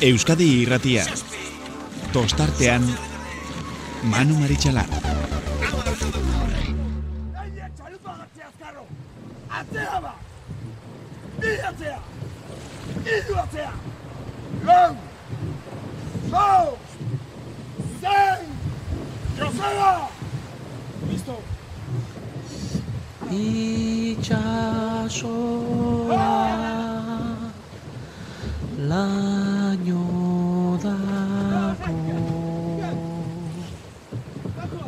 Euskadi Irratia. Tostartean Manu Maritxalar. Laino dako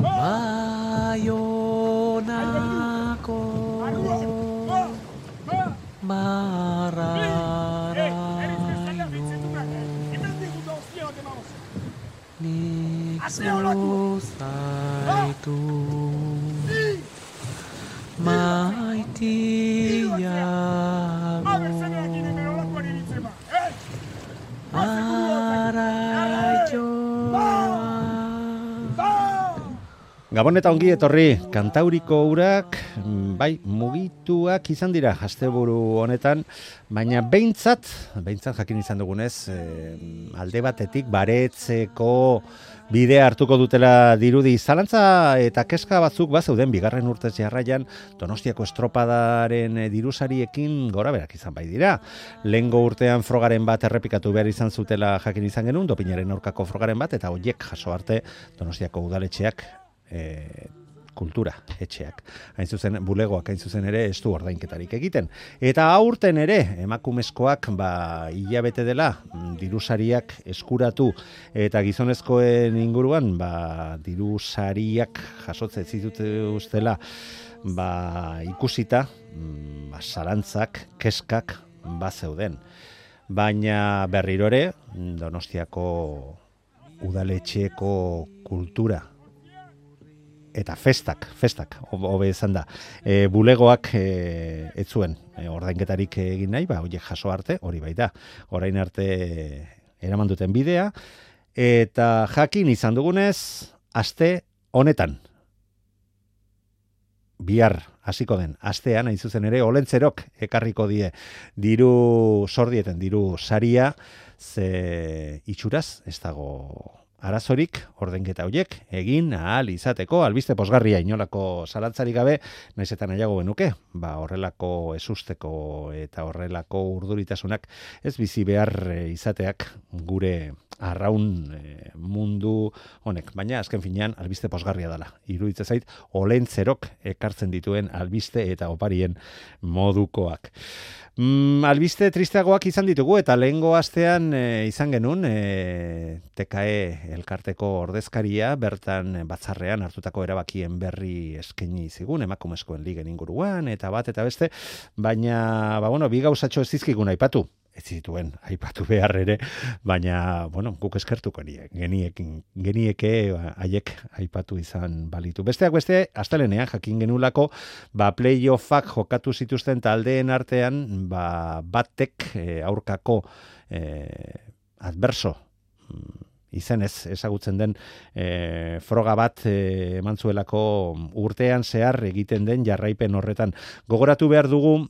Baionako Barraraino Nik zuzaitu Maitiago Gabon eta ongi etorri, kantauriko urak, bai, mugituak izan dira asteburu honetan, baina behintzat jakin izan dugunez, alde batetik baretzeko bidea hartuko dutela dirudi. Zalantza eta kezka batzuk bazeuden bigarren urtez jarraian Donostiako estropadaren dirusariekin gorabeherak izan bai dira. Lehengo urtean frogaren bat errepikatu behar izan zutela jakin izan genuen, dopinaren aurkako frogaren bat, eta horiek jaso arte Donostiako udaletxeak kultura etxeak. Hain zuzen, bulegoak hain zuzen ere ez du ordainketarik egiten. Eta aurten ere, emakumezkoak hilabete dela dirusariak eskuratu eta gizonezkoen inguruan dirusariak jasotzen zituztela ikusita, zalantzak, keskak bazeuden. Baina berriro ere, Donostiako udaletxeeko kultura eta festak, hobe esan da. Bulegoak ez zuen ordainketarik egin nahi, horiek jaso arte, hori bai da. Orain arte eraman duten bidea, eta jakin izan dugunez, aste honetan. Bihar hasiko den astean, hain zuzen ere, olentzerok ekarriko die sordieten diru saria, ze itxuraz, ez dago arazorik ordainketa horiek egin ahal izateko, albiste posgarria inolako zalantzarik gabe, naiz eta nahiago genuke, horrelako ezusteko eta horrelako urduritasunak ez bizi behar izateak gure arraun mundu honek. Baina azken finean albiste posgarria dela. Iruditzen zait, olentzerok ekartzen dituen albiste eta oparien modukoak. Albiste tristeagoak izan ditugu eta lehengo astean izan genuen TKE elkarteko ordezkaria bertan batzarrean hartutako erabakien berri eskaini zigun emakumezkoen ligen inguruan eta bat eta beste, baina bi gauzatxo ez dizkigun aipatu. Ez zituen aipatu behar ere, baina guk eskertuko genieke haiek aipatu izan balitu. Besteak beste, astelenean jakin genulako, playoffak jokatu zituzten taldeen artean, batek aurkako adverso izenez ezagutzen den froga bat eman zuelako urtean zehar egiten den jarraipen horretan. Gogoratu behar dugu,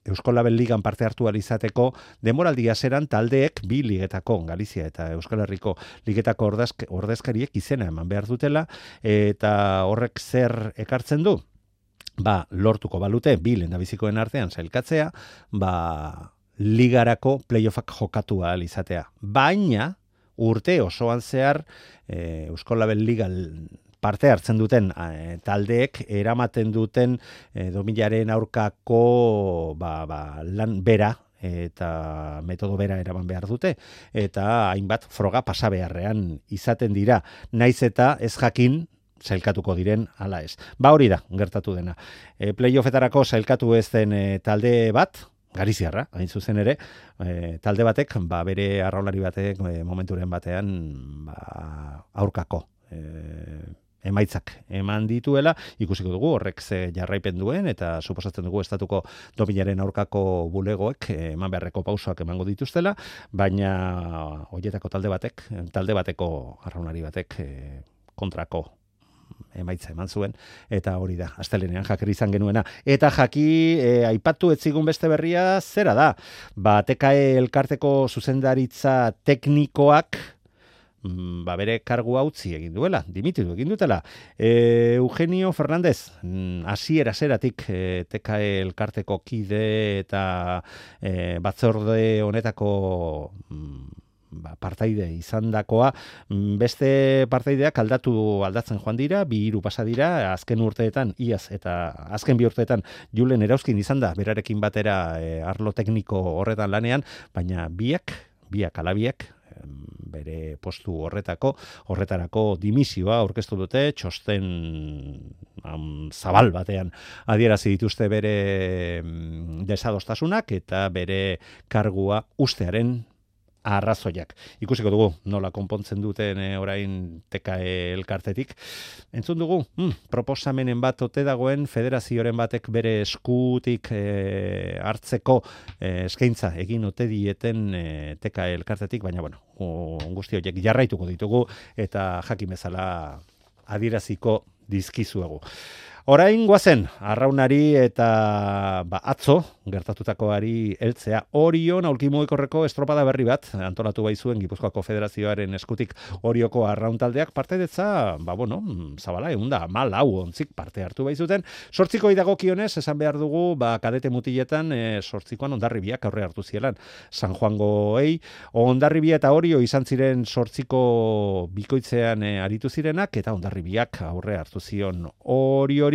Euskal Label Ligan parte hartu izateko denboraldia zeran taldeek bi ligetako, Galizia eta Euskal Herriko ligetako ordezkariek izena eman behar dutela, eta horrek zer ekartzen du? Lortuko balute bi lehendabizikoen artean sailkatzea, ligarako playoffak jokatu ahal izatea. Baina urte osoan zehar Euskal Label Liga parte hartzen duten taldeek eramaten duten dominaren aurkako lan bera eta metodo bera eraman behar dute eta hainbat froga pasa beharrean izaten dira, naiz eta ez jakin sailkatuko diren ala ez. Hori da gertatu dena. Playoffetarako sailkatu ez den talde bat, Galiziarra, hain zuzen ere, talde batek, bere arraunlari batek momenturen batean aurkako emaitzak eman dituela, ikusiko dugu horrek ze jarraipen duen eta suposatzen dugu estatuko dominaren aurkako bulegoek eman beharreko pausoak emango dituztela, baina horietako talde bateko arraunlari batek kontrako emaitza eman zuen, eta hori da, astelenean Jaker izan genuena. Eta Jaki, aipatu etzigun beste berria, zera da? TKE elkarteko zuzendaritza teknikoak, bere kargua utzi egin duela, dimititu egin dutela. Eugenio Fernández, hasiera-hasieratik TKE elkarteko kide eta batzorde honetako partaide izandakoa, beste partaideak aldatzen joan dira, 2-3 pasa dira, azken urteetan, iaz eta azken 2 urteetan Julen Erauzkin izan da, berarekin batera arlo tekniko horretan lanean, baina biak bere postu horretarako dimisioa aurkeztu dute, txosten zabal batean adierazi dituzte bere desadostasunak eta bere kargua ustearen arrazoiak. Ikusiko dugu nola konpontzen duten orain TKE elkartetik. Entzun dugu, proposamenen bat ote dagoen federazioaren batek bere eskutik hartzeko eskaintza egin ote dieten TKE elkartetik, baina guzti horiek jarraituko ditugu eta jakin bezala adieraziko dizkizuegu. Orain guazen, arraunari eta atzo gertatutakoari heltzea. Orion aulki mugikorreko estropada berri bat antolatu baizuen Gipuzkoako Federazioaren eskutik Orioko arraun taldeak partaidetza, zabala, 14 ontzik parte hartu baizuten. 8 dagokionez esan behar dugu, kadete mutiletan 8koan Hondarribiak aurre hartu zielan San Juangoei. Hondarribia eta Orio izan ziren 8ko bikoitzean aritu zirenak eta Hondarribiak aurre hartu zion Oriori.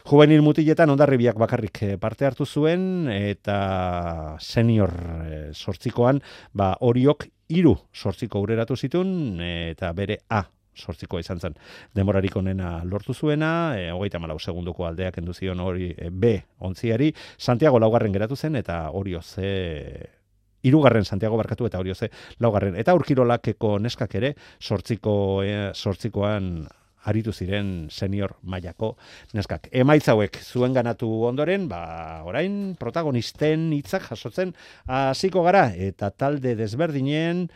Juvenil mutiletan Hondarribiak bakarrik parte hartu zuen eta senior 8koan Oriok 3 8ko aurreratu zituen eta bere A 8koa izan zen denborarik onena lortu zuena, 34 segundoko aldeak kendu zion hori B ontziari, Santiago 4. geratu zen eta Orio C 3. Santiago barkatu eta Orio C 4. Eta Urkirolakeko neskak ere 8koan aritu ziren senior mailako neskak. Emaitza hauek zuen ganatu ondoren, orain protagonisten hitzak jasotzen hasiko gara eta talde desberdinen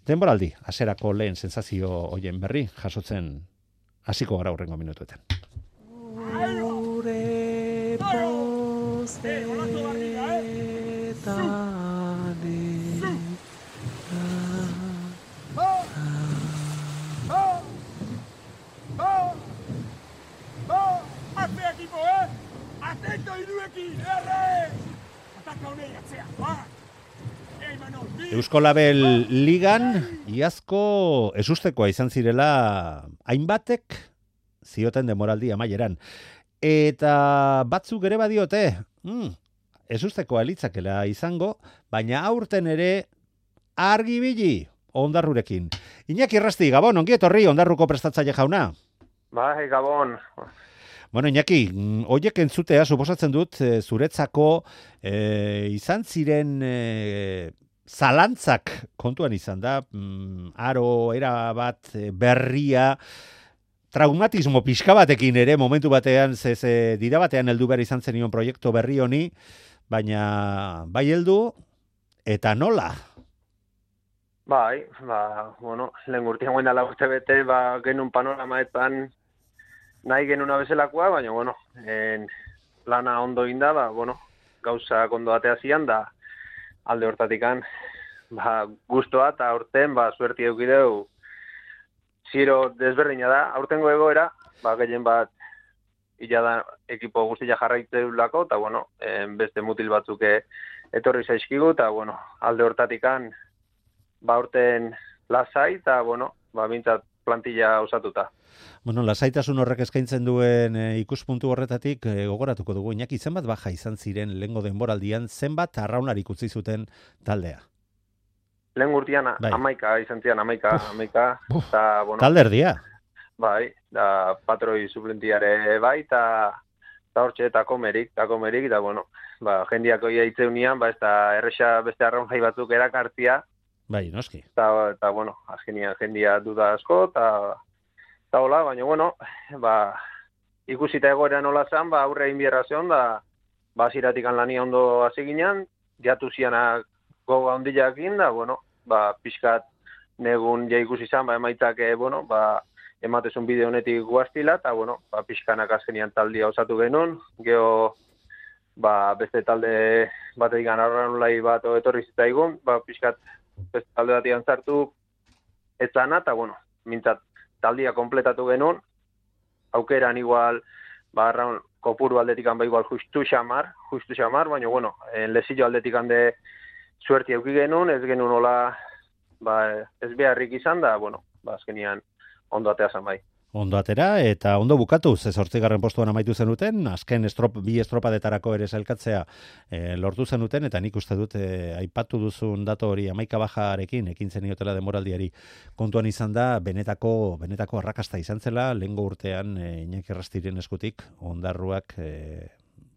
denboraldi hasierako lehen sentsazio hoien berri jasotzen hasiko gara hurrengo minutuetan. Gure Atento iruekin, erre! Ataka honei atzea, Eusko Label Ligan iazko ezustekoa izan zirela hainbatek zioten demoraldi amaieran. Eta batzuk ere badiote, ezustekoa litzakela izango, baina aurten ere argibili Ondarrurekin. Iñaki Errasti, Gabon, ongi etorri Ondarruko prestatzaile jauna. Bai, Gabon. Iñaki, hoiek entzutea suposatzen dut zuretzako izan ziren zalantzak kontuan izan da, aro erabat berria, traumatismo pixka batekin ere momentu batean, dira batean heldu behar izan zenion proiektu berri honi, baina bai heldu eta nola? Bai, lehen urtean guen dala urte bete, genuen panoramaetan nahi genuna bezalakoa, baina, plana ondo inda, gauza ondo atea zian, da alde hortatikan, guztua eta aurten, suerti eukideu, ziro desberdina da, aurtengo egoera, gehien bat, illa da ekipo guztia jarraitzeulako, eta, beste mutil batzuk etorri zaizkigu, eta, alde hortatikan, aurten lasai, eta, bintzat plantilla osatuta. Lasaitasun horrek eskaintzen duen ikuspuntu horretatik gogoratuko dugu. Iñaki, zenbat baja izan ziren lehengo denboraldian, zenbat arraunarik utzi zuten taldea? Lehen urtean, 11 izan ziren, 11. Talde erdia? Bai, da patroi suplentiare bai, eta hortxe, eta komerik, eta jendiako iaitzeunian, ez da erresa beste arraunai batzuk erakartzia. Bai, noski. Eta azkenian jendia duda asko, eta hola, baina, ikusita egoera nola zen, aurre egin biherra zion, da ziratikan lania ondo hasi ginen, jatu zianak goga ondilakin, da, pixkat negun ja ikusi zen, emaitzak, ematezun bide honetik guaztila, eta, bueno, pixkanak azkenian taldia osatu genuen, geho, beste talde batetik arraunlai bat etorri zitzaigun, pixkat beste talde batean zartu etzana, eta, bueno, mintzat taldia kompletatu genuen, aukeran igual, arraun kopuru aldetikan igual justu xamar, baina, bueno, lezillo aldetikan de suerti euki genuen, ez genuen hola, ez beharrik izan da, bueno, azkenian ondo atea zan bai. Ondo atera eta ondo bukatu, ze 8. postuan amaitu zenuten, azken bi estropadetarako ere sailkatzea lortu zenuten, eta nik uste dut aipatu duzun dato hori 11 bajarekin ekin zeniotela denboraldiari kontuan izan da, benetako arrakasta izan zela, lehengo urtean Iñaki Errastiren eskutik ondarruak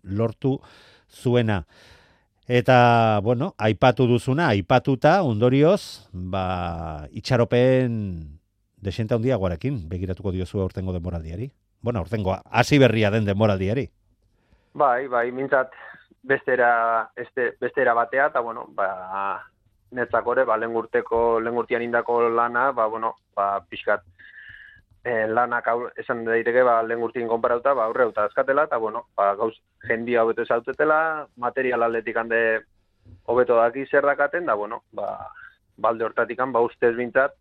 lortu zuena. Eta, bueno, aipatu duzuna, aipatuta, ondorioz, itxaropen desente handiagoarekin begiratuko diozu aurtengo denboraldiari. Bueno, aurtengo hasi berria den denboraldiari. Bai, mintzat bestera batea, eta, bueno, netzakore, lehengurtian indako lana, pixkat lanak esan daiteke, lehengurtien konparauta, aurre eta azkatela, eta, bueno, gauz jendia hobeto zautetela, material aldetik hande hobeto daki zer dakaten, da, bueno, balde hortatik ustez bintzat,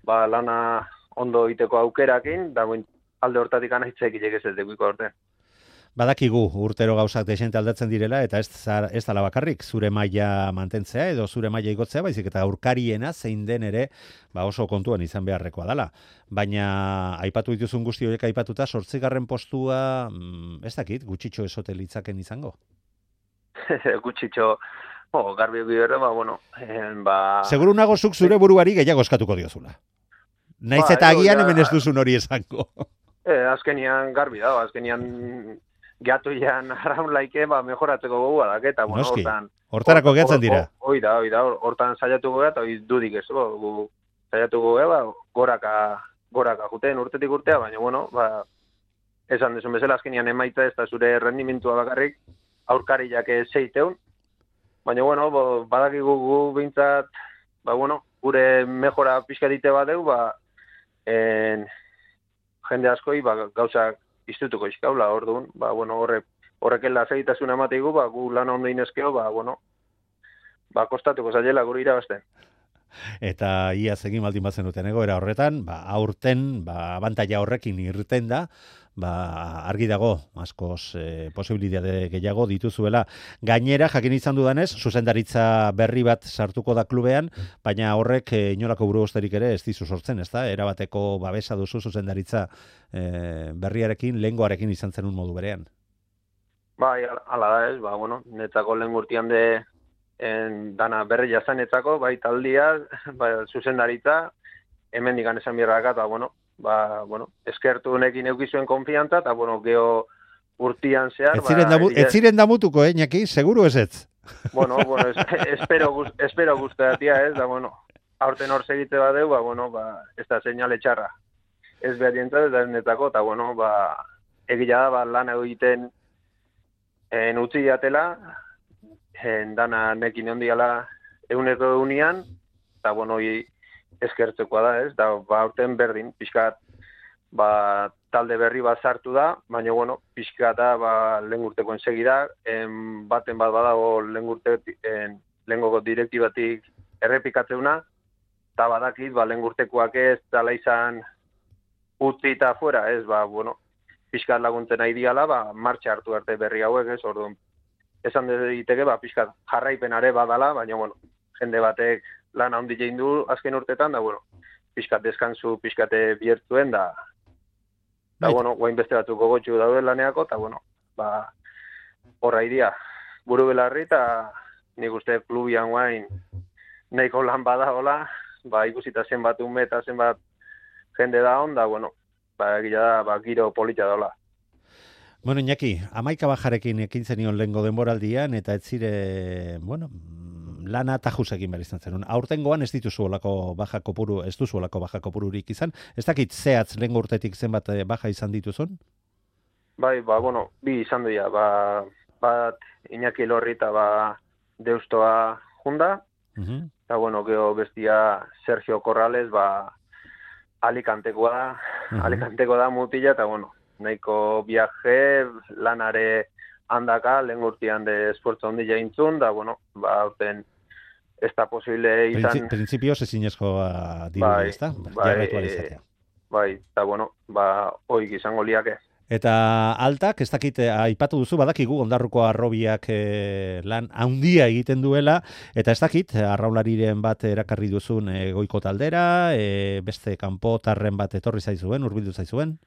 lana ondo iteko aukerakin, da alde hortatik hitzaik ilek ez dekuiko orte. Badakigu urtero gauzak desente aldatzen direla, eta ez dala bakarrik zure maila mantentzea edo zure maila igotzea, baizik eta aurkariena zein den ere oso kontuan izan beharrekoa dala. Baina aipatu dituzun guzti horiek aipatuta 8. postua, ez dakit, gutxitxo esote litzaken izango? Gutxitxo, garbi bidera, bueno, Seguru nago zuk zure buruari gehiago eskatuko diozula. Naiz eta agian hemen ez duzun hori esango. Azkenian garbi da, azkenian gehatuian arraun laike, mejoratzeko gogu adak, eta, bueno, Noski, hortarako gehatzen dira. Hoi da, hortan saiatuko gara, eta dudik ez, saiatuko gara, goraka juten urtetik urtea, baina, bueno, esan desun bezala azkenian emaitza ez da zure rendimentua bakarrik, aurkari jake zeiteun, baina, bueno, badakigu gu bintzat, gure mejora pixkatite badeu, jende askoi, gauzak iztutuko izkaula, orduan, horrekela segitasun amateigu, gu lana ondo inezkeo, kostatuko zailela gure irabazten. Eta iaz egin baldin batzen duten egoera horretan, aurten, abantaila horrekin irten da, argi dago, askoz posibilitate gehiago dituzuela. Gainera, jakin izan dudanez, zuzendaritza berri bat sartuko da klubean, baina horrek inolako burugosterik ere ez dizu sortzen, ez da? Erabateko babesa duzu zuzendaritza berriarekin, lehengoarekin izan zenun modu berean. Bai, ala da ez, netzako lehen urtean de dana berri jazan netzako, bai taldia, zuzendaritza, hemen digan esan birrakat, eskertu honekin eukizuen konfiantza, eta, geho urtian zehar... Ez ziren damutuko, Iñaki? Seguru ez ez? Espero guztatia ez, da, aurten hor segite badeu, ez da seinale txarra. Ez behar dientzat, eta netako, eta, egila da, lan egiten utzi jatela, dana nekin ondiala eguneko egunean, eta, eskertzekoa da, ez? Da, aurten berdin, pixkat, talde berri bat sartu da, baina, pixkat da, lehen urteko ensegida, baten bat badago lehengoko direktibatik errepikatzeuna, eta badakit, lehen urtekoak ez, dala izan utzi eta fuera, ez, pixkat laguntzen nahi diala, martxa hartu arte berri hauek, ez, orduan, esan diteke, pixkat jarraipenare badala, baina, jende batek lan handi jein du azken urtetan, da, pixkat deskansu, pixkate biertzuen, da, guain beste batzuk gogotxu daude laneako, eta, horra idia, buru belarri, eta nik uste klubian guain nahiko lan bada hola, ikusita zenbat ume eta zenbat jende da hon, da, egila da, giro polita daula. Bueno, Iñaki, 11 bajarekin ekin zenion lehengo denboraldian, eta ez zire, lana tajusekin behar izan zen. Aurtengoan ez dituzu olako baja kopuru, ez duzu olako baja kopururik izan. Ez dakit zehatz lehengo urtetik zenbat baja izan dituzun? Bai, bi izan duia. Bat Iñaki Lorri eta Deustoa junda. Eta, geho bestia Sergio Corrales, Alicantekoa da, Alicantekoa da mutila, eta bueno, nahiko viaje, lanare handaka, lehen urtean de esfuerzo ondila intzun, da bueno, aurten ez da posible izan... Principios ezinezkoa dirudi, ez da? Jarraitu alizatea. Bai, eta bueno, oik izango liake. Eta altak, ez dakit, aipatu duzu, badakigu Ondarruko Harrobiak lan handia egiten duela, eta ez dakit, arraunlariren bat erakarri duzun goiko taldera, beste kanpotarren bat etorri zaizuen, hurbildu zaizuen?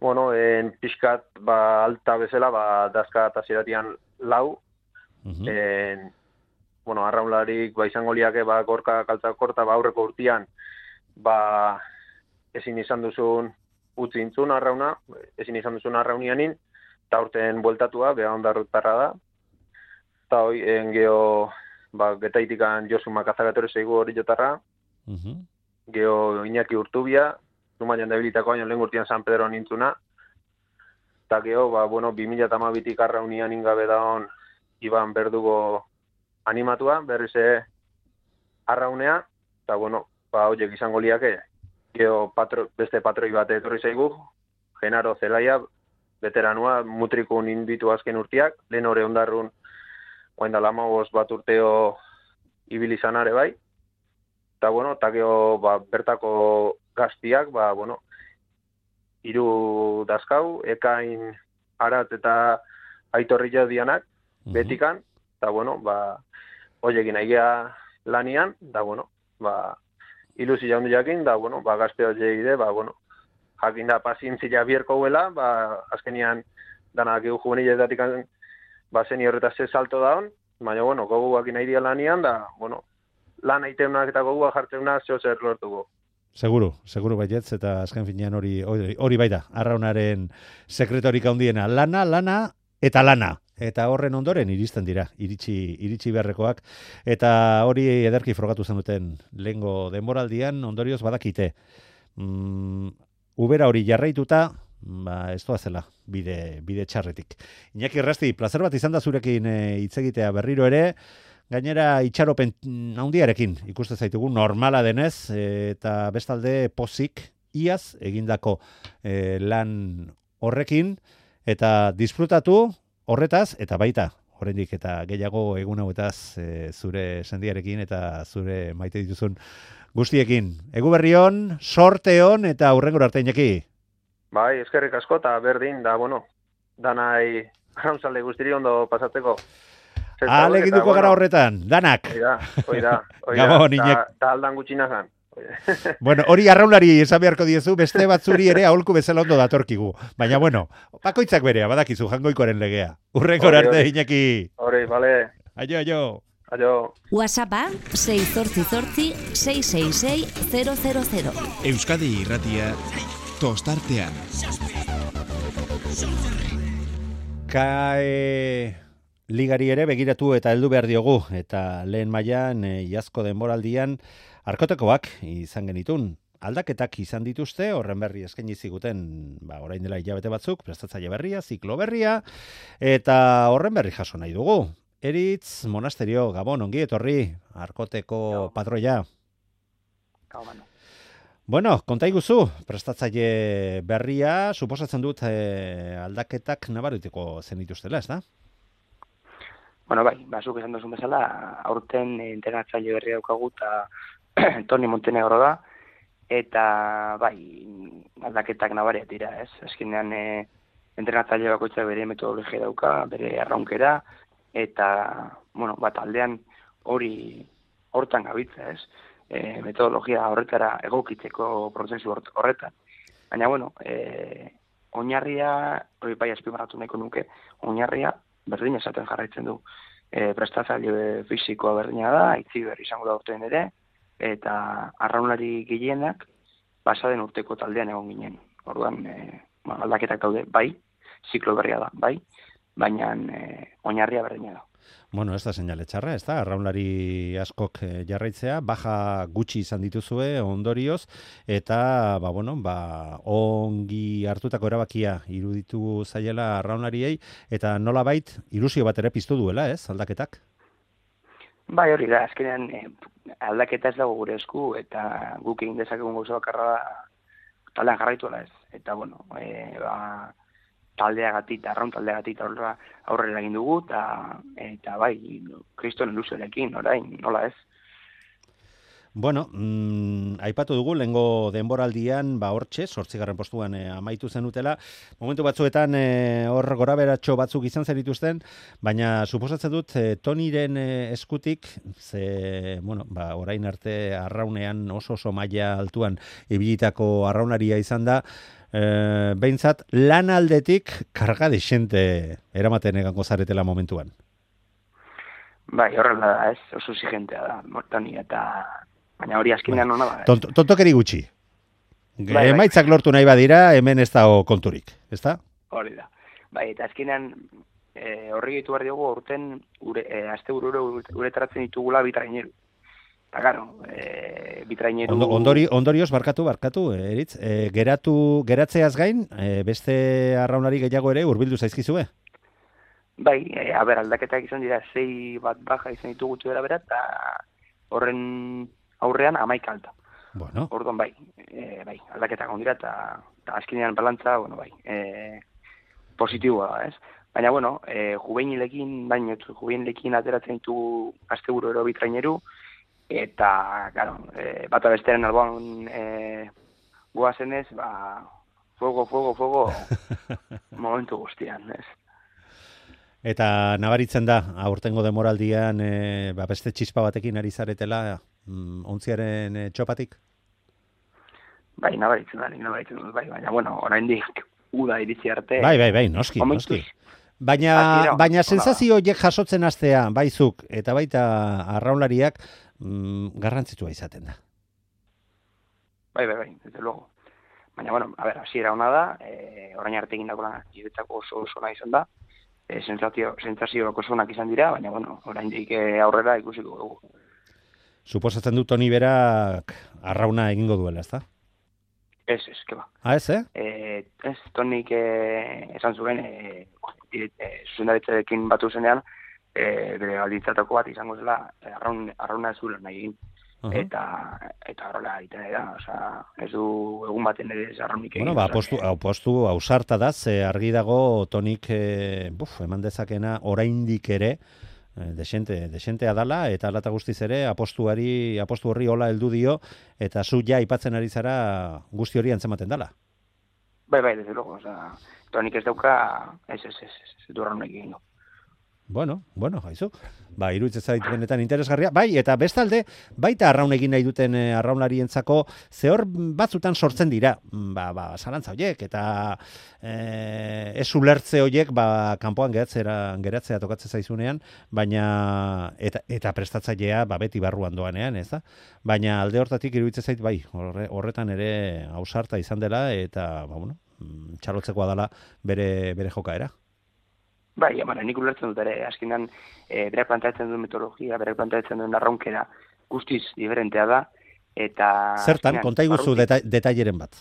Bueno, pixkat, alta bezala, dazka eta ziratian lau, bueno, arraunlarik izango liake, gorka, kaltzak korta, aurreko urtean, ezin izan duzun utzi intzun arrauna, ezin izan duzun arraunianin, eta urten bueltatua, beha Ondarrutarra da. Eta hoi, geho, getaitikan Josu Makazagatorre zeigu hori jotarra, geho Iñaki Urtubia, Zumaian debilitako baino lehen urtean San Pedro nintzuna, eta geho, 2012tik arraunian ingabe daun Iban Berdugo animatua, berrize arraunea, eta horiek izango liake, geho beste patroi bat etorri zaigu, Genaro Zelaia, veteranua, mutriku ninditu azken urteak, lehen hori Ondarrun, oain da 15 bat urteo ibilizanare bai, eta geho bertako gaztiak, hiru dazkau, Ekain, Arat eta Aitorri dianak, betikan, eta horiekin aigea lanian, ilusi jaundu jakin, gazte hori egide, jakin da pazientzia bierko huela, azkenian danak egu juveniletatik zeni horretaz ez salto daun, baina, goguak nahi dia lanian, lan aiteunak eta gogua jartzeunak zeo zer lortuko. Seguru baietz, eta azken finean hori baita, arraunaren sekretorik handiena, lana eta lana. Eta horren ondoren iristen dira, iritsi beharrekoak, eta hori ederki frogatu zen duten lehengo denboraldian, ondorioz badakite. Ubera hori jarraituta, ez doazela, bide txarretik. Iñaki Errasti, plazer bat izan da zurekin hitz egitea berriro ere, gainera itxaropen handiarekin ikuste zaitugu, normala denez, eta bestalde pozik, iaz egindako lan horrekin, eta disfrutatu, horretaz, eta baita, oraindik eta gehiago egun hauetaz zure sendiarekin eta zure maite dituzun guztiekin. Egu berrion, sorte hon eta hurrengora arte Iñaki. Bai, eskerrik asko eta berdin, danai arraunzalde guztiri ondo pasatzeko. Alegituko gara horretan, danak. Oida, Gabon, Iñaki. Eta aldan gutxina zan. Bueno, hori arraunlari esan beharko diezu, beste batzuri ere aholku bezala ondo datorkigu. Baina, bakoitzak berea, badakizu, jangoikoaren legea. Hurrengora arte, Iñaki. Hori, bale. Aio. WhatsAppa 688-666-000. Euskadi Irratia, tostartean. Ligari ere begiratu eta heldu behar diogu, eta lehen mailan iazko denboraldian arkotekoak izan genitun. Aldaketak izan dituzte, horren berri eskaini ziguten, orain dela hilabete batzuk, prestatzaile berria, ziklo berria, eta horren berri jaso nahi dugu. Eritz Monasterio, Gabon, ongi etorri, arkoteko patroia. Bueno, konta iguzu, prestatzaile berria, suposatzen dut aldaketak nabarituko zen dituztela, ez da? Bueno, bai, zuk esan duzun bezala, aurten entrenatzaile berria daukagu eta Toni Montenegro da, eta bai, aldaketak nabariak dira, ez? Azkenean entrenatzaile bakoitzak bere metodologia dauka, bere arraunkera, eta, aldean hortan gabitza, ez? Metodologia horretara egokitzeko prozesu horretan. Baina, oinarria, hori bai azpimarratu nahiko nuke, oinarria berdin esaten jarraitzen du. Prestatzaile fisikoa berdina da, Aitziber izango da urtean ere, eta arraunlari gehienak pasaden urteko taldean egon ginen. Orduan, aldaketak daude, bai, ziklo berria da, bai, baina oinarria berdina da. Bueno, ez da seinale txarra, ez da, arraunlari askok jarraitzea, baja gutxi izan dituzue ondorioz, eta, ongi hartutako erabakia iruditu zaiela arraunlariei, eta nolabait ilusio bat ere piztu duela, ez, aldaketak? Bai, hori da, azkenean aldaketa ez dago gure esku, eta guk egin dezakegun gauza bakarra da taldean jarraituela ez. Eta, bueno, taldeagatik, arraun taldeagatik aurrera egin dugu, eta bai, kriston ilusioarekin, orain, nola ez. Bueno, aipatu dugu, lehengo denboraldian, hortxe, 8. postuan amaitu zenutela. Momentu batzuetan hor goraberatxo batzuk izan zenituzten, baina suposatzen dut Toniren eskutik, orain arte arraunean oso maila altuan ibilitako arraunaria izan da, behintzat lan aldetik karga desente eramaten egango zaretela momentuan. Bai, horrela da, ez, oso exigentea da, Toni, eta baina hori azkenean hona da. Tontokeri gutxi. Bai. Emaitzak lortu nahi badira, hemen ez dago konturik, ezta? Hori da. Bai, eta azkenean horri gitu behar diogu aurten asteburu uretaratzen ditugula bitraineru. Eta garo, bitraineru... Ondorioz, barkatu, Eritz, geratzeaz gain, beste arraunari gehiago ere hurbildu zaizkizue? Bai, aldaketak izan dira 6 bat baja izan ditugu gutxi bera, eta horren aurrean 11 alta. Bueno. Orduan bai, aldaketak ondira eta azkenean balantza, positiboa da, ez? Baina, juvenilekin ateratzen ditugu asteburu ero bitraineru, eta, claro, bata bestearen alboan goazenez, fuego, momentu guztian, ez? Eta nabaritzen da, aurtengo demoraldian, beste txispa batekin ari zaretela, ontziaren txopatik? Bai, nabaritzen dut, baina, oraindik uda iritsi arte... Bai, noski. Baina sensazio horiek jasotzen hastea, baizuk, eta baita arraunlariak, garrantzitsua izaten da. Bai, desde luego. Baina, hasiera ona da, orain arte egindako lana niretzako oso ona izan da, sentsazioak osonak izan dira, baina, oraindik aurrera ikusiko dugu. Suposatzen dut Toni berak arrauna egingo duela, ezta? Ez, keba. Ez, Ez, Tonik esan zuen, zuzendaritzarekin batu zenean, bere baldintzatako bat izango zela, arrauna ez zuela nahi egin. Eta horrela egiten da, ez du egun baten ere arraunik egin. Apostu ausarta da, ze argi dago Tonik eman dezakena oraindik ere, desentea dala, eta alata guztiz ere, apostu horri hola heldu dio, eta zu ja aipatzen ari zara guzti hori antzematen dala. Bai, desde luego, Tonik ez dauka, ez du arraunik egin. Bueno, haizu. Iruditzen zait benetan interesgarria. Bai, eta bestalde, baita arraun egin nahi duten arraunarientzako zehor batzutan sortzen dira. Zalantza horiek, eta ez ulertze horiek, kanpoan geratzea tokatzen zaizunean, baina, eta prestatzailea, beti barruan doanean, ez da? Baina alde hortatik iruditzen zait, horretan ere ausarta izan dela, eta, txalotzekoa dela bere jokaera. Bai, nik ulertzen dut ere, azkenan berak planteatzen duen metodologia, berak planteatzen duen arraunkera guztiz diferentea da, eta... Zertan, konta iguzu detaileren bat.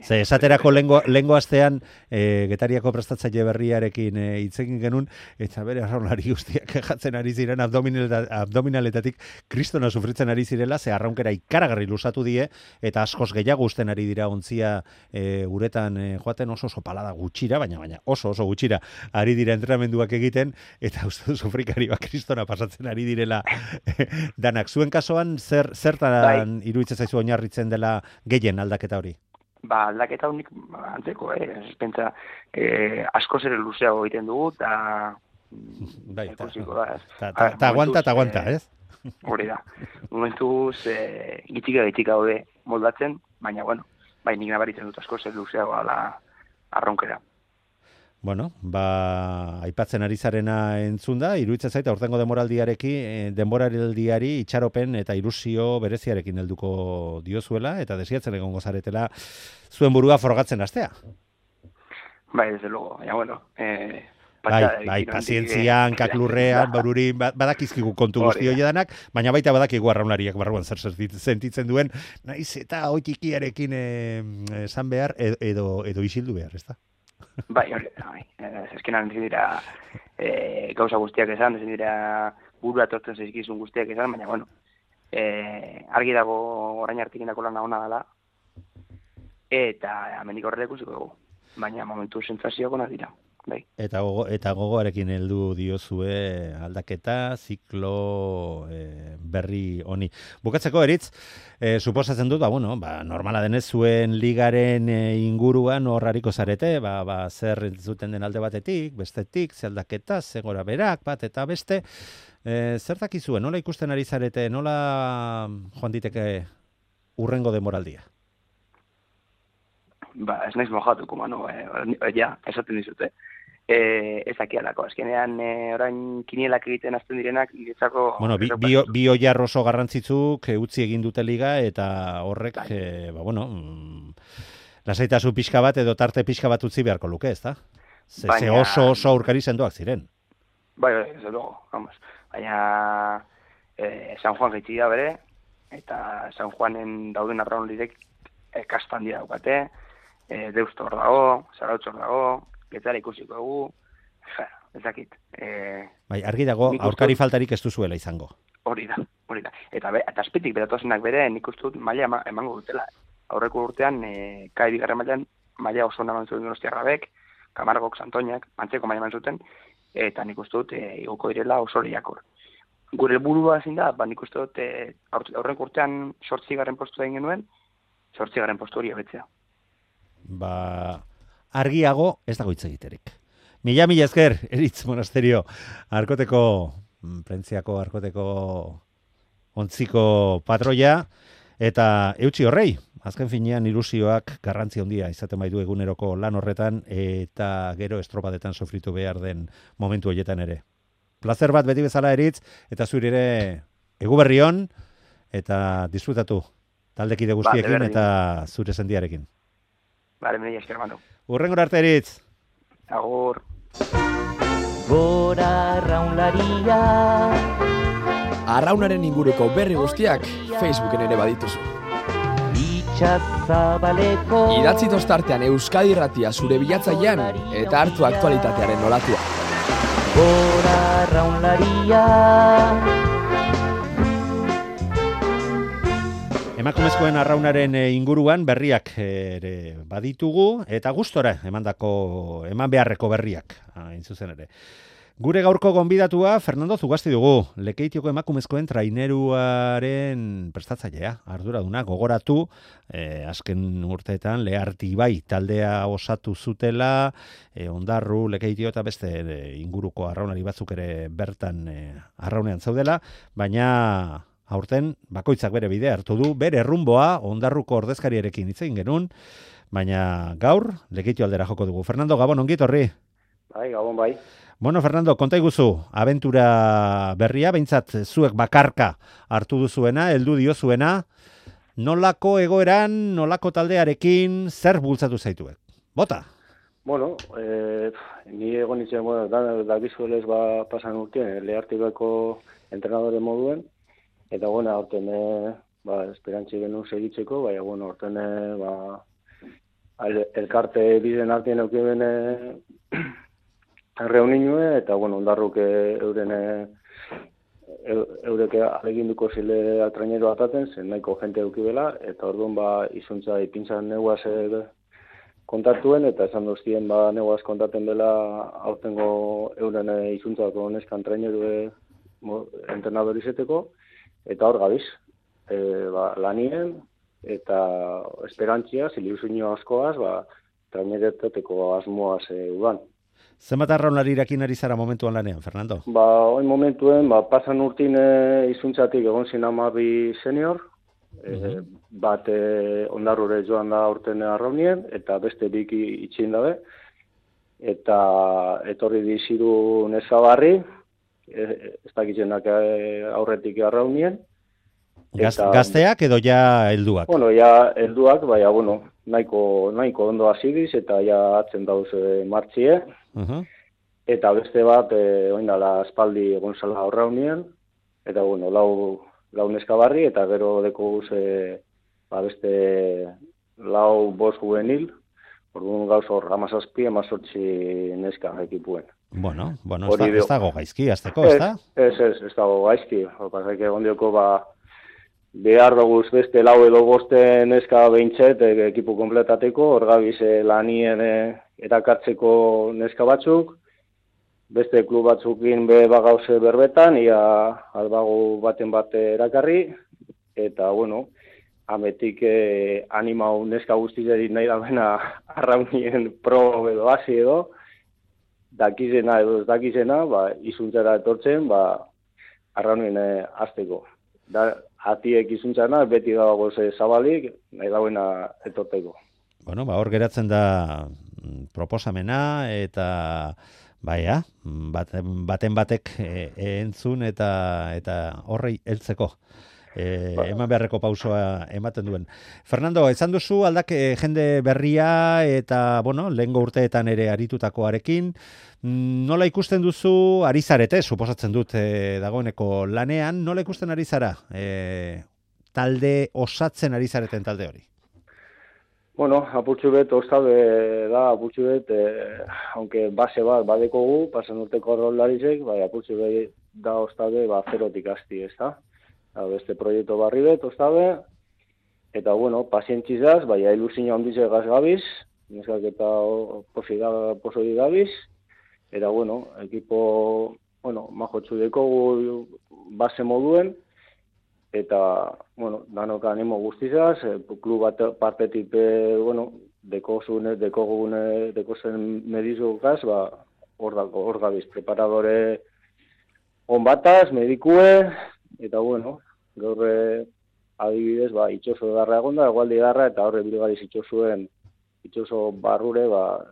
Ze, esaterako lehengo astean Getariako prestatzaile berriarekin hitzekin genuen, eta bere arraunlari guztiak jatzen ari ziren abdominaletatik kristona sufritzen ari zirela, ze arraunkera ikaragarri lusatu die, eta askoz gehiago usten ari dira ontzia uretan joaten oso palada gutxira, baina oso gutxira ari dira entrenamenduak egiten, eta uste duzu frikari kristona pasatzen ari direla danak. Zuen kasuan, zertan iruditzen zaizu oinarritzen dela gehien aldaketa hori? Aldaketa honik antzeko, pentsa askoz ere luzeago egiten dugu, eta aguanta, ez? Hori da. Momentuz, gitika gaude moldatzen, baina, nik nabaritzen dut askoz ere luzeago arronkera. Aipatzen ari zarena entzun da, iruditzen zaita aurtengo denboraldiari itxaropen eta ilusio bereziarekin helduko diozuela, eta desiatzen egongo zaretela zuen burua frogatzen hastea. Bai, desde luego, pazientzia, hankaklurrean, barurin, badakizkigu kontu guzti hori danak, baina baita badakigu arraunariak barruan zer sentitzen duen, naiz eta oitikiarekin esan behar edo isildu behar, ez da? Bai, ezkenan ezin dira gauza guztiak esan, ezin dira burua tortzen zaizkizun guztiak esan, baina, argi dago orain arte egindako lana ona dela, eta amendik horrela ikusiko dugu. Baina momentu sentsazioak onak dira. Bai. Eta gogoarekin heldu diozue aldaketa, ziklo berri honi. Bukatzeko eritz, suposatzen dut, normala denez zuen ligaren inguruan horrariko zarete, zer zuten den alde batetik, bestetik, ze aldaketa, ze gora berak, bat eta beste, zer dakizue, nola ikusten ari zarete, nola joan diteke urrengo denboraldia? Ez naiz mojatuko, Manu, esaten dizute. Ezakialako, azkenean orain kinielak egiten azten direnak, niretzako... Bi oiar oso garrantzitsuk utzi egin dute liga, eta horrek, lasaitasun pixka bat edo tarte pixka bat utzi beharko luke, ez da? Ze oso aurkari sendoak ziren. Bai, ez dugu, vamos. Baina San Juan gaitzi da bere, eta San Juanen dauden arraunlirek kastan dira daukate, Deusto hor dago, Zarautz hor dago, Getzara ikusiko dugu, ezakit. Argi dago, aurkari faltarik ez duzuela izango. Hori da. Eta azpitik beratozenak bere, nik uste dut maila emango dutela. Aurreko urtean, kai bigarren mailan, maila oso eman zuten Donostiarrabek, Kamargok, Santoñak, antzeko maila eman zuten, eta nik uste dut igoko direla oso lehiakor. Gure helburua ezin da, nik uste dut aurreko urtean 8. postu egin genuen, 8. postu hori hobetzea. Argiago ez dago hitz egiterik. Mila esker, Eritz Monasterio, Prentziako Arkoteko ontziko patroia, eta eutxi horrei, azken finean ilusioak garrantzi handia izaten baitu eguneroko lan horretan, eta gero estropadetan sofritu behar den momentu horietan ere. Plazer bat beti bezala, Eritz, eta zuri ere eguberrion, eta disfrutatu taldekide guztiekin eta zure sendiarekin. Mila esker, Manu. Urrengor arte, Eritz. Agur. Gora arraunlaria. Arraunaren inguruko berri guztiak Facebooken ere badituzu. Itxazabaleko. Idatzi tostartean Euskadi Irratia zure bilatzailean eta hartu aktualitatearen nolatua. Gora arraunlaria. Emakumezkoen arraunaren inguruan berriak ere baditugu, eta gustora eman beharreko berriak, hain zuzen ere. Gure gaurko gonbidatua Fernando Zugasti dugu, Lekeitioko emakumezkoen traineruaren prestatzailea, arduraduna, gogoratu, azken urteetan Leartibai taldea osatu zutela, Ondarru, Lekeitio eta beste inguruko arraunari batzuk ere bertan arraunean zaudela, baina aurten bakoitzak bere bidea hartu du, bere rumboa Ondarruko ordezkariarekin hitz egin genuen, baina gaur Lekeitio aldera joko dugu. Fernando, Gabon, ongi etorri. Bai, Gabon, bai. Bueno, Fernando, konta iguzu, abentura berria, behintzat zuek bakarka hartu duzuena, heldu diozuena, nolako egoeran, nolako taldearekin, zer bultzatu zaituek? Bota! Bueno, ni egon nintzen, dakizuelez pasan urtean, Leartibeko entrenadore moduen, eta aurten esperantzi genuen segitzeko, aurten elkarte biden artean eukiben reuninue, eta Ondarruk eureke aleginduko zile traineroa ataten, zen nahiko jente eukibela, eta orduan izuntza ipintzan neguaz kontatuen, eta esan doztien neguaz kontaten dela aurtengo euren izuntzako neskan trainerue entrenadorizeteko, eta hor gabiz, lanien, eta esperantzia, ziliuzinio askoaz, trainereteteko asmoaz udan. Zenbat arraunlarirakin ari zara momentuan lanean, Fernando? Oin momentuen, pasan urtin izuntzatik egon zin 12 senior, bat Ondarrure joan da urten arraunien, eta beste biki itxin dabe, eta etorri diziru Nezabarri, ez dakitzenak aurretik arraunien. Gazteak edo ja helduak? Bueno, ja helduak, nahiko ondo hasidiz, eta ja atzen dauz martxie. Eta beste bat, oindala aspaldi egon zala arraunien, eta lau neskabarri, eta gero deko guz, beste lau bost juvenil, orduan gauz hor, 17 neska ekipuen. Bueno, ez dago gaizki, azteko, ez da? Ez dago gaizki. Pasak egon dioko, behar doguz beste lau edo boste neska behintzet ekipu kompletateko, hor gabiz lanien erakartzeko neska batzuk, beste klub batzukin be bagauze berbetan, ia albago baten bat erakarri, eta, bueno, ametik animau neska guztizeri nahi da bena arraunien pro edo hasi edo, dakizena edo ez dakizena, izuntzara etortzen, arraunien azteko. Atiek izuntzana, beti dago zabalik, nahi dauena etorteko. Bueno, hor geratzen da proposamena, eta baten batek entzun eta horrei heltzeko. Eman beharreko pausoa ematen duen. Fernando, esan duzu jende berria eta, bueno, lehengo urteetan ere aritutakoarekin, nola ikusten duzu ari zarete, suposatzen dut dagoeneko lanean, nola ikusten ari zara talde osatzen ari zareten talde hori? Bueno, apurtxu bet, ostabe da, apurtxu bet, aunque base bat badekogu, pasan urteko arrolarizek, apurtxu bet da ostabe, zerotik asti, ez da? Beste proiektu barri bet, ostabe, eta, bueno, pazientzizaz, ilusina ondize gaz gabiz, neskak eta poso di gabiz, eta, bueno, ekipo, majotxu dekogu base moduen, eta, bueno, danok animo guztizaz, klub bat partetik, dekozen medizugaz, hor gabiz, preparadore on bataz, medikue, eta, bueno, gaur adibidez, itxoso edarra egonda, egualdi edarra, eta horre bilgariz itxoso barrure,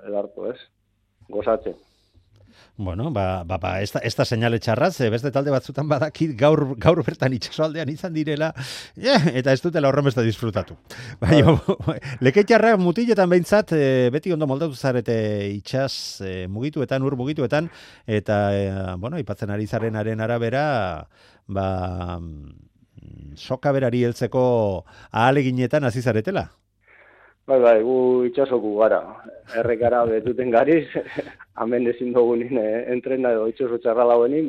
edartu, ez? Gozatzen. Bueno, ez da seinale txarraz, beste talde batzutan badakit gaur bertan itxasoaldean izan direla, eta ez dutela horren beste disfrutatu. Lekeitarra mutiletan behintzat, beti ondo moldatu zarete itxas mugituetan, ur mugituetan, eta, ipatzen ari zarenaren arabera, soka berari heltzeko ahaleginetan hasi zaretela? Gu itxasoku gara. Errekara betuten gariz, hemen ezin dugunin entrena edo itxoso txarra lauenin,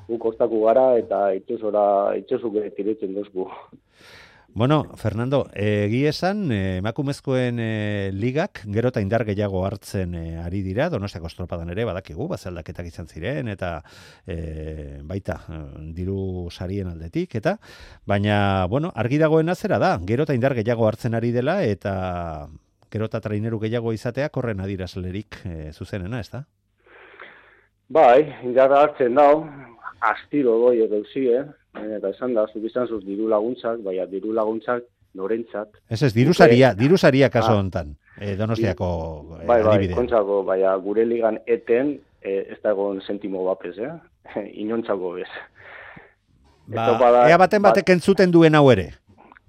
gu kostaku gara eta itxosuk tiretzen duzku. Bueno, Fernando, esan, emakumezkoen ligak gero eta indar gehiago hartzen ari dira, Donostiako estropadan ere badakigu, bazaldaketak izan ziren, eta baita diru sarien aldetik, baina, argi dagoena zera da, gero eta indar gehiago hartzen ari dela, eta gero eta traineru gehiago izateak horren adirazlerik zuzenena, ez da? Indarra hartzen dau, astiro doi egeuzi, eta esan da, zuk izan zuz diru laguntzak, diru laguntzak norentzat. Ez, diru saria kaso hontan, Donostiako adibide. Kontzako, gure ligan eten, ez da egon sentimo bapez, inontzako bez. Ea baten batek entzuten duen hau ere.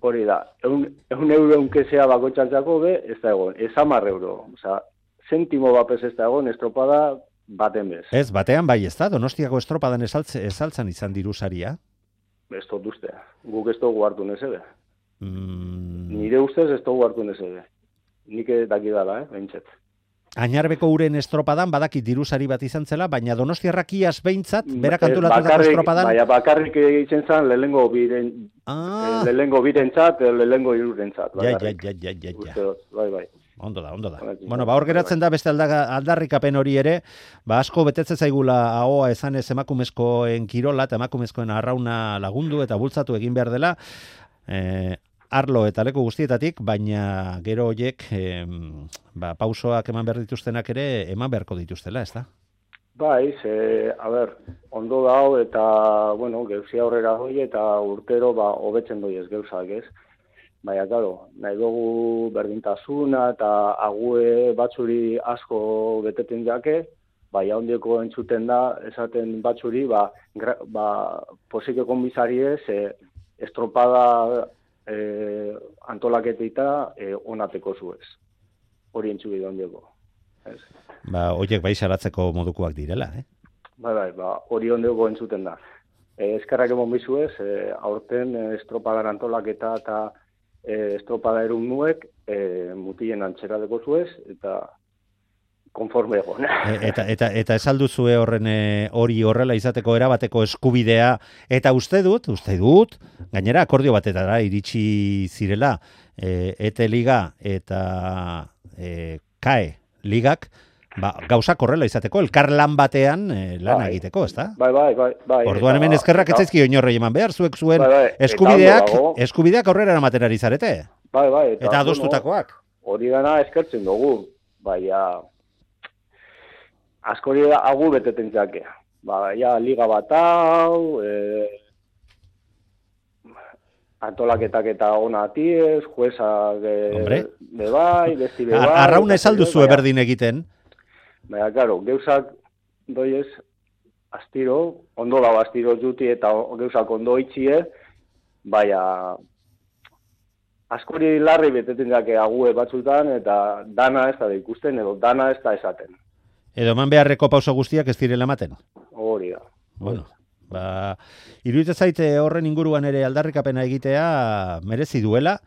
Hori da, euro unkezea bakotxantzako be, ez da egon, ez 10 euro. Sentimo bapez ez da egon, estropada baten bez. Ez, batean ez da, Donostiako estropadan esaltzan izan diru saria. Ez dut uste, guk ez dugu hartu nezebe. Nire ustez ez dugu hartu nezebe. Nik dakidala, behintzet. Añarbeko uren estropadan badakit diru sari bat izan zela, baina Donostiarrak iaz behintzat, berak antolatutako estropadan... Bakarrik egiten zan lehengo birentzat, lehengo irurentzat. Bai. Ondo da. Bueno, hor geratzen da beste aldarrikapen hori ere, asko betetzen zaigula ahoa esanez emakumezkoen kirola eta emakumezkoen arrauna lagundu eta bultzatu egin behar dela, arlo eta leku guztietatik, baina gero horiek pausoak eman behar dituztenak ere eman beharko dituztela, ez da? Ondo dao eta, geuzia aurrera doi eta urtero hobetzen doi ez geuzak, ez? Claro, nahi dugu berdintasuna eta ague batzuri asko beteten jake, ondieko entzuten da, esaten batzuri, posike konbizari ez, estropada antolaketita onateko zuez. Hori entzubi da ondieko. Horiek salatzeko modukoak direla, hori ondieko entzuten da. Eskerrak emon bizuez, aurten estropadan antolaketa eta estropada erun nuek, mutien antxera deko zuez, eta konforme egon. Eta esalduzue horren hori horrela izateko erabateko eskubidea, eta uste dut, gainera akordio batetara iritsi zirela, ETE Liga eta KAE Ligak, gauzak horrela izateko, elkarlan batean lan egiteko, ezta? Bai. Orduan hemen eskerrak etzaizkio inorrei eman behar, zuek zuen eskubideak aurrera eramaten ari zarete. Bai. Eta adostutakoak. Hori dana eskertzen dugu, baina askori agu beteten zake. Liga bat hau, antolaketak eta ona atiez, juezak bebai, besti bebai. Arrauna esalduzu berdin egiten. Baina, claro, geuzak doiez astiro, ondo dago astiro juti eta geuzak ondo itxie, baina askori larri beteten zake ague batzutan eta dana ez da ikusten edo dana ez da esaten. Edo eman beharreko pauso guztiak ez direla ematen? Hori da. Bueno, iruditzen zaite horren inguruan ere aldarrikapena egitea merezi duela,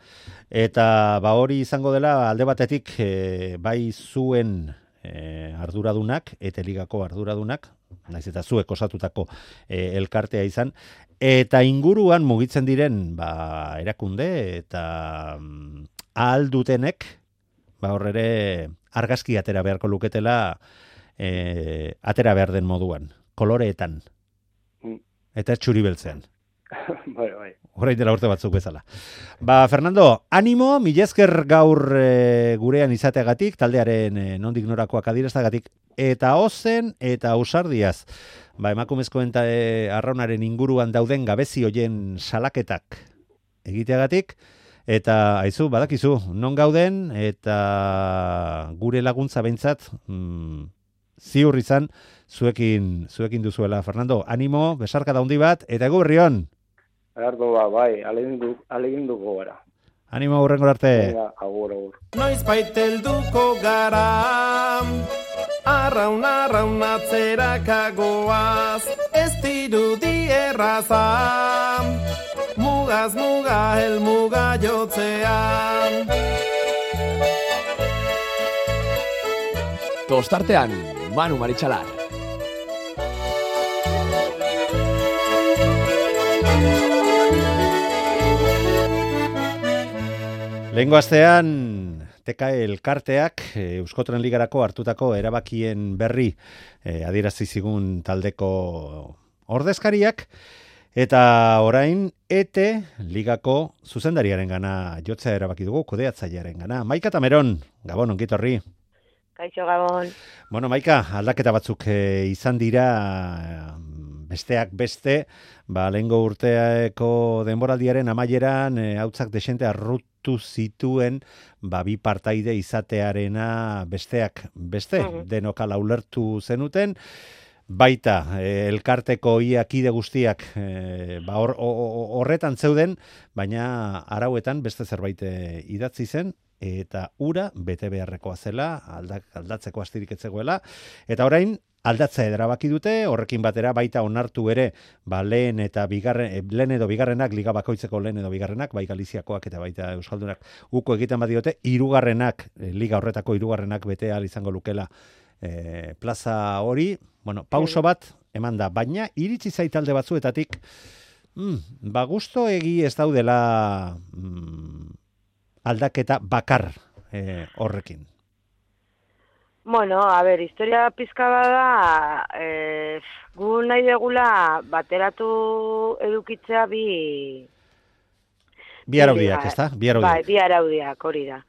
eta hori izango dela alde batetik bai zuen arduradunak, ETE Ligako arduradunak, naiz eta zuek osatutako elkartea izan, eta inguruan mugitzen diren erakunde eta ahal dutenek horrere argazki atera beharko luketela atera behar den moduan, koloreetan. Eta txuri beltzean. Bai. Horrein dela urte batzuk bezala. Fernando, animo, milesker gaur gurean izateagatik, taldearen nondik norakoak adierazteagatik, eta ozen eta ausardiaz. Emakumezkoen eta arraunaren inguruan dauden gabezi hoien salaketak egiteagatik, eta aizu, badakizu, non gauden, eta gure laguntza behintzat, ziur izan, zuekin duzuela. Fernando, animo, besarka daundi bat, eta egu berrion. Erardo bai, alegin duko gara. Animo aurrengor arte. Agur. Noiz baitelduko gara, arraun atzerakagoaz, ez dirudi erraza, mugaz muga helmuga jotzean. Tostartean, Manu Maritxalar. Lehengo astean, TKE elkarteak Euskotren Ligarako hartutako erabakien berri adierazi zigun taldeko ordezkariak, eta orain ETE Ligako zuzendariaren gana jotzea erabaki dugu, kudeatzailearen gana. Maika Tameron, Gabon, ongitorri. Kaixo, Gabon. Bueno, Maika, aldaketa batzuk izan dira, besteak beste, lehengo urteako denboraldiaren amaieran hautzak desente arrutu zituen bi partaide izatearena besteak beste, denokala ulertu zenuten, baita elkarteko ia kide guztiak horretan zeuden, baina arauetan beste zerbait idatzi zen, eta ura bete beharrekoa zela, aldatzeko astirik etzegoela, eta orain aldatzea erabaki dute, horrekin batera baita onartu ere, lehen edo bigarrenak, liga bakoitzeko lehen edo bigarrenak, bai Galiziakoak eta baita Euskaldunak uko egiten badiote, liga horretako hirugarrenak bete ahal izango lukela plaza hori, pauso bat eman da, baina iritsi zait alde batzuetatik, gusto egi ez daudela aldaketa bakar horrekin. Bueno, historia pizka bada, gu nahi degula bateratu edukitzea bi araudiak, ezta? Bi araudiak, hori da.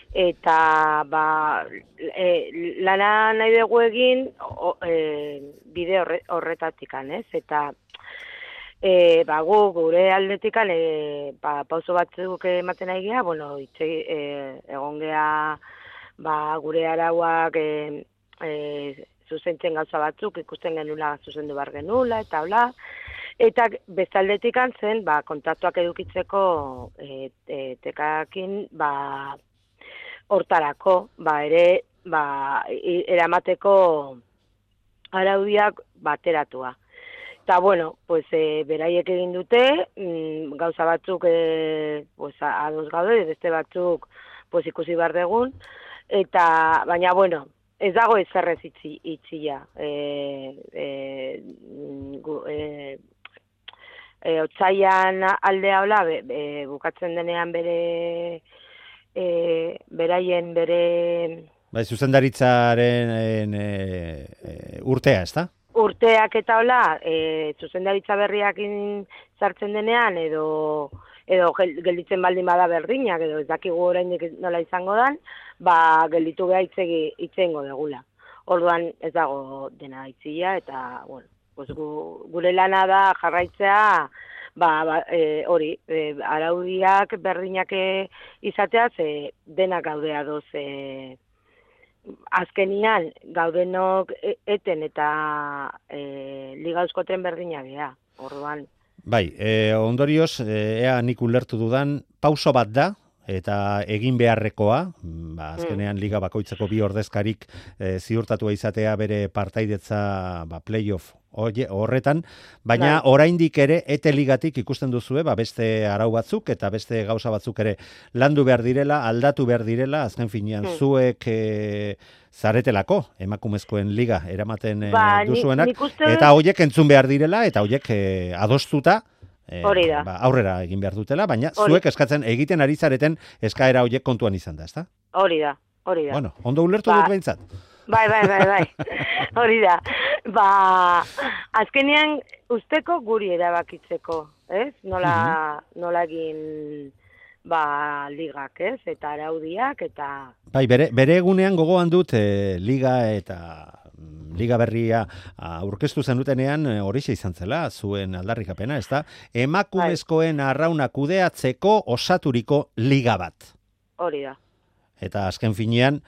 Eta, lana nahi dugu egin bide horretatikan, ez? Eta, gu gure aldetikan, pauso batzuk ematen nahi geha, egon geha, gure arauak zuzentzen gauza batzuk, ikusten genula zuzendu bar genula, eta hola. Eta bestaldetik zen, kontaktuak edukitzeko tekakin, hortarako, ere, eramateko araudiak bateratua. Eta, beraiek egin dute, gauza batzuk ados gaude, beste batzuk ikusi behar dugun, eta, baina, Ez dago ezerrez itxia. Otsaian aldea hola, bukatzen denean beraien Bai, zuzendaritzaren urtea, ez da? Urteak eta hola, zuzendaritza berriak sartzen denean, edo gelditzen baldin bada berdinak, edo ez dakigu oraindik nola izango dan, gelditu beha itzengo degula. Orduan ez dago dena itzia, eta, bueno, gure lana da jarraitzea, hori, araudiak berdinak izatea, denak gaudea doz, azkenian gaudenok eten eta Liga Euskotren berdinak gea, orduan. Bai, ondorioz, ea nik ulertu dudan, pauso bat da, eta egin beharrekoa, azkenean Liga bakoitzeko bi ordezkarik ziurtatua izatea bere partaidetza playoff horretan, baina oraindik ere ETE ligatik ikusten duzue, beste arau batzuk eta beste gauza batzuk ere landu behar direla, aldatu behar direla, azken finean zuek zaretelako emakumezkoen liga eramaten duzuenak, eta horiek entzun behar direla, eta horiek adostuta aurrera egin behar dutela, baina zuek eskatzen egiten ari zareten eskaera horiek kontuan izan da, ezta? Hori da. Bueno, ondo ulertu dut behintzat. Bai. Hori da. Azkenean usteko guri erabakitzeko, ez? Nola egin ligak, ez? Eta araudiak, eta... Bai, bere egunean gogoan dut liga eta... Liga berria aurkeztu zenutenean horixe izan zela, zuen aldarrikapena, ez da? Emakumezkoen arrauna kudeatzeko osaturiko liga bat. Hori da. Eta azken finean,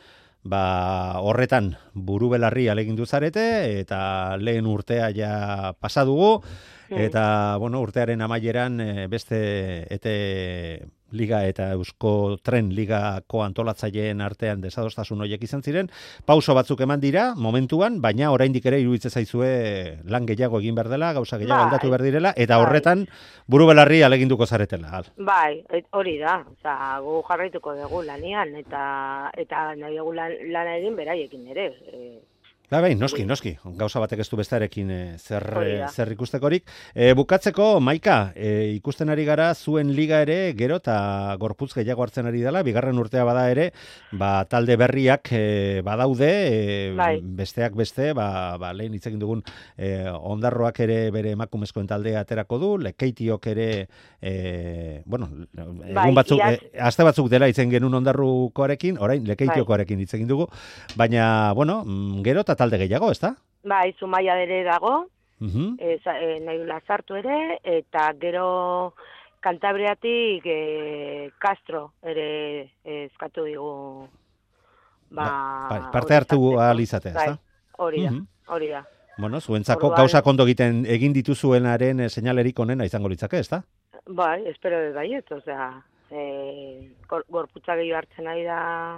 horretan burubelarri alegindu zarete, eta lehen urtea ja pasa dugu, eta urtearen amaieran beste ETE Liga eta Eusko Tren Ligako antolatzaileen artean desadostasun horiek izan ziren, pauso batzuk eman dira momentuan, baina oraindik ere iruditzen zaizue lan gehiago egin behar dela, gauza gehiago aldatu behar direla, eta horretan burubelarri aleginduko zaretela. Bai, hori da, gu jarraituko dugu lanian, eta nahi dugu lana egin beraiekin ere. Bai, noski, gauza batek ez du bestarekin zer ikustekorik. Bukatzeko, Maika, ikusten ari gara zuen liga ere gero eta gorputz gehiago hartzen ari dela, bigarren urtea bada ere, talde berriak badaude, besteak beste, lehen hitz egin dugun Ondarroak ere bere emakumezkoen taldea aterako du, Lekeitiok ere, egun batzuk, aste batzuk dela hitzen genuen Ondarrukoarekin, orain Lekeitiokoarekin hitz egin dugu, baina, gero eta talde gehiago, ez da? Bai, Zumaia ere dago, nahi sartu ere, eta gero Kantabriatik Castro ere eskatu digu. Parte hartu ahal izatea, ez da? Hori da. Bueno, zuentzako gauza kondo egin dituzuenaren seinalerik onena izango litzake, ez da? Bai, espero baiet, osea... gorputza gehiago hartzen ari da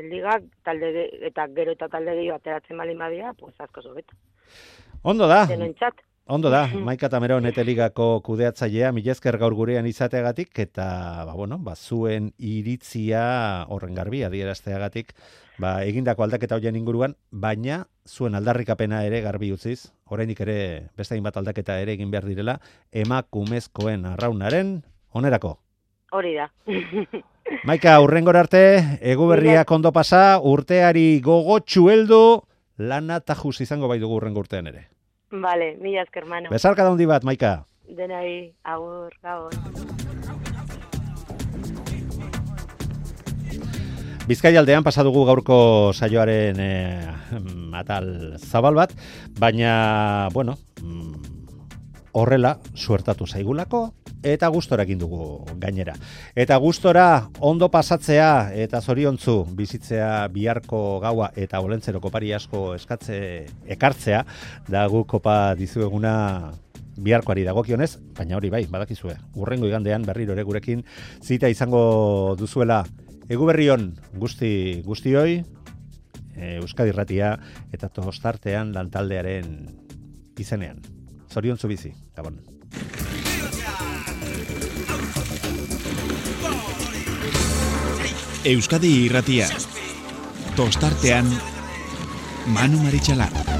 ligak, eta gero eta talde gehiago ateratzen balin badia, pues asko zobeto. Ondo da, Maika Tameron ETE Ligako kudeatzailea, mila esker gaur gurean izateagatik, eta zuen iritzia horren garbi adierazteagatik, egindako aldaketa horien inguruan, baina zuen aldarrikapena ere garbi utziz, oraindik ere beste hainbat aldaketa ere egin behar direla, emakumezkoen arraunaren onerako. Hori da. Maika, hurrengora arte, eguberriak ondo pasa, urteari gogotxu heldu, lana tajuz izango bai dugu hurrengo urtean ere. Vale, mila esker, mano. Besarka handi bat, Maika. Denai, agur, gabon. Bizkaialdean pasa dugu gaurko saioaren atal zabal bat, baina, horrela suertatu zaigulako, eta gustora egin dugu gainera. Eta gustora ondo pasatzea eta zoriontzu bizitzea biharko gaua eta olentzeroko pari asko ekartzea, da gu kopa dizueguna biharkoari dagokionez, baina hori bai, badakizue, hurrengo igandean berriro ere gurekin zita izango duzuela. Eguberrion guztioi, Euskadi Irratia eta Tostartean lantaldearen izenean. Zoriontzu bizi, Gabon. Euskadi Irratia. Tostartean Manu Maritxalar.